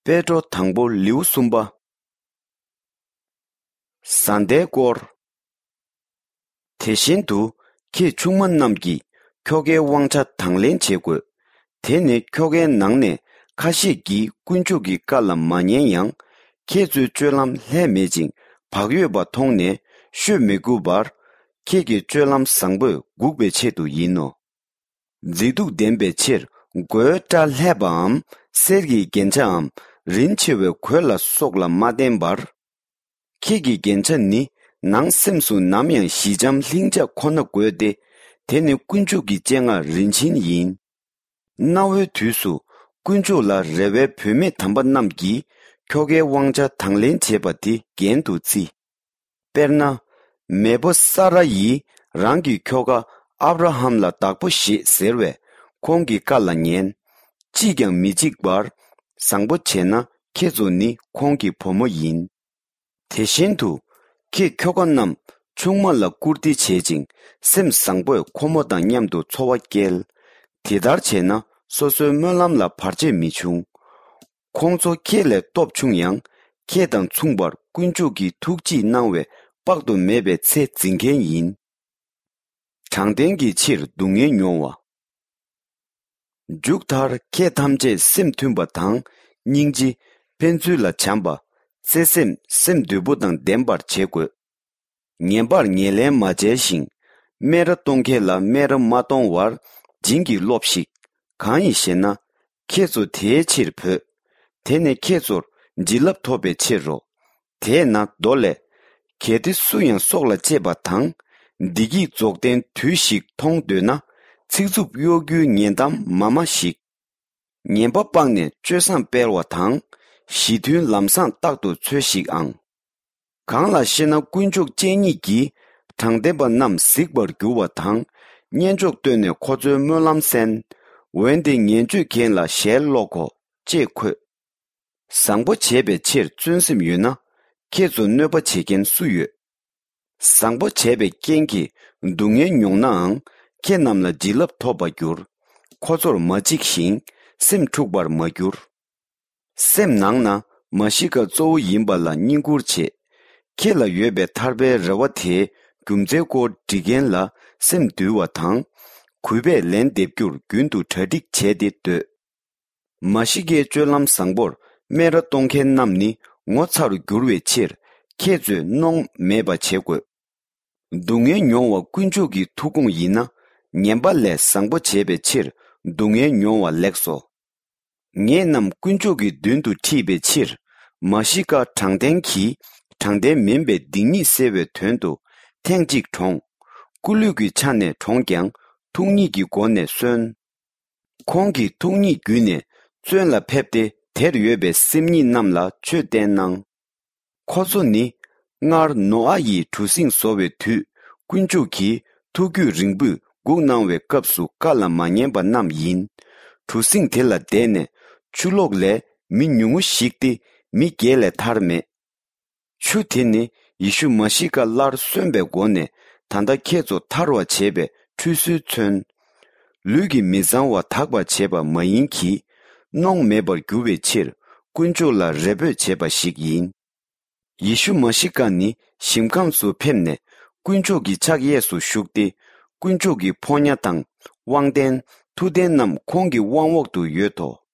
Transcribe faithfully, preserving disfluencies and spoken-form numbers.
པེ་ཏྲོ་དང་པོ་ལེའུ་གསུམ་པ། བཟའ་ཟླའི་སྐོར། དེ་བཞིན་དུ་ཁྱེད་ཆུང་མ་རྣམས་ཀྱིས་ཁྱོ་གའི་དབང་ཆ་དང་ལེན་བྱེད་དགོས། དེ་ནི་ཁྱོ་གའི་ནང་ནས་ཁ་ཤས་ཀྱིས་དཀོན་མཆོག་གི་བཀའ་ལ་མ་ཉན་ཡང་། ཁྱེད་ཚོའི་སྤྱོད་ལམ་ལྷད་མེད་ཅིང་བག་ཡོད་པ་མཐོང་ནས་ཤོད་མི་དགོས་པར། ཁྱེད་ཀྱི་སྤྱོད་ལམ་བཟང་པོས་འགུགས་པའི་ཆེད་དུ་ཡིན་ནོ། མཛེས་སྡུག་ལྡན་པའི་ཕྱིར་མགོའི་སྐྲ་ལྷས་པའམ། གསེར་གྱི་རྒྱན་ཆའམ། རིན་ཆེ་བའི་གོས་ལ་སོགས་ལ་མ་བརྟེན་པར། ཁྱེད་ཀྱི་རྒྱན་ཆ་ནི་ནང་སེམས་སུ་ནམ་ཡང་ཞི་འཇམ་ལྷིང་འཇགས་ཁོ་ན་དགོས་ཏེ། དེ་ནི་དཀོན་མཆོག་གི་སྤྱན་སྔར་རིན་ཆེན་ཡིན། གནའ་བོའི་དུས་སུ་དཀོན་མཆོག་ལ་རེ་བའི་བུད་མེད་དམ་པ་རྣམས་ཀྱིས་ཁྱོ་གའི་དབང་ཆ་དང་ལེན་བྱེད་པ་དེ་རྒྱན་དུ་བརྩི། དཔེར་ན། མེས་པོ་ས་ར་ཡིས་རང་གི་ཁྱོ་ག་ཨབ་ར་ཧམ་ལ་བདག་པོ་བཞེས་ཟེར་བས་ཁོང་གི་བཀའ་ལ་ཉན། ཅིས་ཀྱང་མི་འཇིགས་པར། བཟང་པོ་བྱས་ན་ཁྱེད་ཚོ་ནི་ཁོང་གི་བུ་མོ་ཡིན། དེ་བཞིན་དུ། ཁྱེད་ཁྱོ་ག་རྣམས་ཆུང་མ་ལ་བཀུར་སྟི་བྱེད་ཅིང་སེམས་བཟང་པོས་ཁོ་མོ་དང་མཉམ་དུ་འཚོ་བ་སྐྱེལ། དེ་ལྟར་བྱས་ན་སོ་སོའི་སྨོན་ལམ་ལ་བར་ཆད་མི་འབྱུང་། ཁོང་ཚོ་ཁྱེད་ལས་སྟོབས་ཆུང་ཡང་། ཁྱེད་དང་མཚུངས་པར་དཀོན་མཆོག་གིས་ཐུགས་དཔྱིས་གནང་བའི་དཔག་ཏུ་མེད་པའི་ཚེ་འཛིན་མཁན་ཡིན། དྲང་བདེན་གྱི་ཕྱིར་སྡུག་བསྔལ་མྱོང་བ། མཇུག་མཐར་ཁྱེད་ཐམས་ཅད་སེམས་མཐུན་པ་དང་། སྙིང་རྗེ། ཕན་ཚུན་ལ་བྱམས་པ། བརྩེ་སེམས། སེམས་དུལ་པོ་དང་ལྡན་པར་བྱེད་དགོས། ངན་པར་ངན་ལན་མ་འཇལ་ཞིང་། སྨད་ར་གཏོང་མཁན་ལ་སྨད་ར་མ་གཏོང་བར་བྱིན་གྱིས་རློབས་ཤིག། གང་ཡིན་ཞེ་ན། ཁྱེད་ཚོ་དེའི་ཕྱིར་བོས། དེ་ནི་ཁྱེད་ཚོར་བྱིན་རླབས་ཐོབ་པའི་ཕྱིར་རོ། དེས་ན་མདོ་ལས། གལ་ཏེ་སུ་ཡང་སྲོག་ལ་གཅེས་པ་དང་། བདེ་སྐྱིད་རྫོགས་ལྡན་དུས་ཤིག་མཐོང་འདོད་ན། ཚིག་རྩུབ་གཡོ་སྒྱུའི་ངན་གཏམ་མ་སྨྲ་ཞིག། ངན་པ་སྤངས་ནས་སྤྱོད་བཟང་སྤེལ་བ་དང་། ཞི་མཐུན་ལམ་བཟང་རྟག་ཏུ་འཚོལ་ཞིག་ཨང་། གང་ལ་ཞེ་ན། དཀོན་མཆོག་སྤྱན་ཉིད་ཀྱིས་དྲང་བདེན་པ་རྣམས་གཟིགས་པར་འགྱུར་བ་དང་། སྙན་ཅོག་བཏོན་ནས་ཁོ་ཚོའི་སྨོན་ལམ་གསན། འོན་ཏེ་ངན་སྤྱོད་མཁན་ལ་ཞལ་སློག་གོ། ཅེས་འཁོད། བཟང་པོ་བྱས་པའི་ཕྱིར་བརྩོན་སེམས་ཡོད་ན། ཁྱེད་ཚོ་གནོད་པ་བྱེད་མཁན་སུ་ཡོད། བཟང་པོ་བྱས་པའི་རྐྱེན་གྱིས་སྡུག་བསྔལ་མྱོང་ནའང་། ཁྱེད་རྣམས་ལ་བྱིན་རླབས་ཐོབ་པར་འགྱུར། ཁོ་ཚོར་མ་འཇིགས་ཤིང་། སེམས་འཁྲུགས་པར་མ་འགྱུར། སེམས་ནང་ན་མ་ཤི་ཀ་གཙོ་བོ་ཡིན་པ་ལ་བསྙེན་བཀུར་བྱེད། ཁྱེད་ལ་ཡོད་པའི་ཐར་པའི་རེ་བ་དེའི་རྒྱུ་མཚན་སྐོར་འདྲི་མཁན་ལ་སེམས་འདུལ་བ་དང་། གུས་པས་ལན་འདེབས་རྒྱུར་རྒྱུན་དུ་གྲ་སྒྲིག་བྱས་ཏེ་སྡོད། མ་ཤི་ཀའི་སྤྱོད་ལམ་བཟང་པོར་སྨད་ར་གཏོང་མཁན་རྣམས་ནི་ངོ་ཚ་རུ་འགྱུར་བའི་ཕྱིར། ཁྱེད་ཚོས་གནོང་མེད་པ་བྱེད་དགོས། སྡུག་བསྔལ་མྱོང་བ་དཀོན་མཆོག་གི་ཐུགས་དགོངས་ཡིན་ན། ངན་པ་ལས་བཟང་པོ་བྱས་པའི་ཕྱིར་སྡུག་བསྔལ་མྱོང་བ་ལེགས་སོ། ངེད་རྣམས་དཀོན་མཆོག་གི་མདུན་དུ་ཁྲིད་པའི་ཕྱིར། མ་ཤི་ཀ་དྲང་བདེན་གྱིས་དྲང་བདེན་མིན་པའི་སྡིག་ཉེས་སེལ་བའི་དོན་དུ་ཐེངས་གཅིག་གྲོངས། སྐུ་ལུས་ཀྱི་ཆ་ནས་གྲོངས་ཀྱང་ཐུགས་ཉིད་ཀྱི་སྒོ་ནས་གསོན། ཁོང་གིས་ཐུགས་ཉིད་བརྒྱུད་ནས་བཙོན་ལ་ཕེབས་ཏེ་དེར་ཡོད་པའི་སེམས་ཉིད་རྣམས་ལ་ཆོས་བསྟན་གནང་། ཁོ་ཚོ་ནི་སྔར་ནོ་ཨ་ཡིས་གྲུ་གཟིངས་བཟོ་བའི་དུས་དཀོན་མཆོག་གིས་ཐུགས་རྒྱུད་རིང་པོས་སྒུག་གནང་བའི་སྐབས་སུ་བཀའ་ལ་མ་ཉན་པ་རྣམས་ཡིན། གྲུ་གཟིངས་དེ་ལ་བསྡད་ནས་ཆུ་ལོག་ལས་མི་ཉུང་ངུ་ཞིག་སྟེ་མི་བརྒྱད་ལས་ཐར་མེད། ཆུ་དེ་ནི་ཡེ་ཤུ་མ་ཤི་ཀ་སླར་གསོན་པའི་སྒོ་ནས་ད་ལྟ་ཁྱེད་ཚོ་ཐར་བར་བྱེད་པའི་ཁྲུས་གསོལ་མཚོན། ལུས་ཀྱི་མི་གཙང་བ་དག་པར་བྱེད་པ་མ་ཡིན་གྱི། གནོང་མེད་པར་འགྱུར་བའི་ཕྱིར་དཀོན་མཆོག་ལ་རེ་འབོད་བྱེད་པ་ཞིག་ཡིན། ཡེ་ཤུ་མ་ཤི་ཀ་ནི་ཞིང་ཁམས་སུ་ཕེབས་ནས་དཀོན་མཆོག་གི་ཕྱག་གཡས་སུ་བཞུགས་ཏེ། དཀོན་མཆོག་གི་ཕོ་ཉ་དང་། དབང་ལྡན། མཐུ་ལྡན་རྣམས་ཁོང་གི་དབང་འོག་ཏུ་ཡོད་དོ།